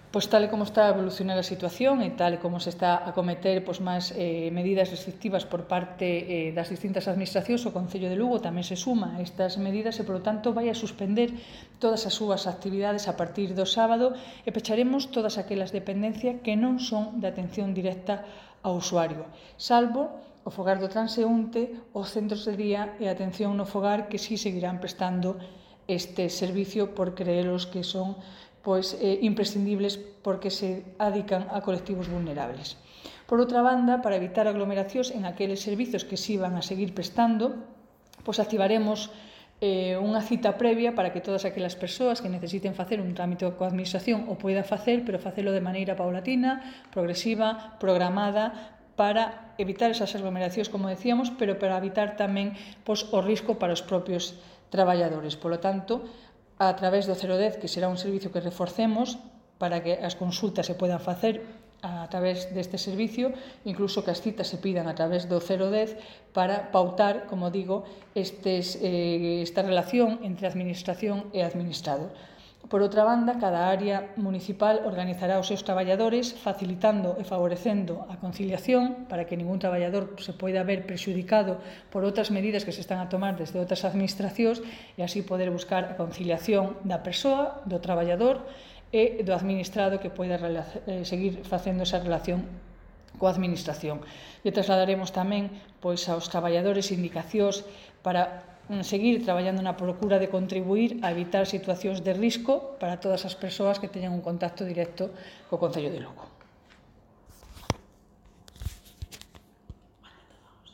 Pois tal e como está a evolucionar a situación e tal e como se está a cometer máis medidas restrictivas por parte das distintas administracións, o Concello de Lugo tamén se suma a estas medidas e, polo tanto, vai a suspender todas as súas actividades a partir do sábado e pecharemos todas aquelas dependencias que non son de atención directa ao usuario, salvo o fogar do transeúnte, os centros de día e a atención no fogar que sí seguirán prestando este servicio por creelos que son imprescindibles porque se adican a colectivos vulnerables. Por outra banda, para evitar aglomeracións en aqueles servizos que sí van a seguir prestando, activaremos unha cita previa para que todas aquelas persoas que necesiten facer un trámite coa administración o poidan facer, pero facelo de maneira paulatina, progresiva, programada, para evitar esas aglomeracións, como decíamos, pero para evitar tamén o risco para os propios traballadores. Polo tanto, a través do 010, que será un servicio que reforcemos para que as consultas se podan facer a través deste servicio, incluso que as citas se pidan a través do 010 para pautar, como digo, esta relación entre a administración e administrado. Por outra banda, cada área municipal organizará os seus traballadores facilitando e favorecendo a conciliación para que ningún traballador se poida ver prexudicado por outras medidas que se están a tomar desde outras administracións e así poder buscar a conciliación da persoa, do traballador e do administrado que poida seguir facendo esa relación coa administración. E trasladaremos tamén aos traballadores indicacións para seguir traballando na procura de contribuir a evitar situacións de risco para todas as persoas que teñan un contacto directo co Concello de Lugo.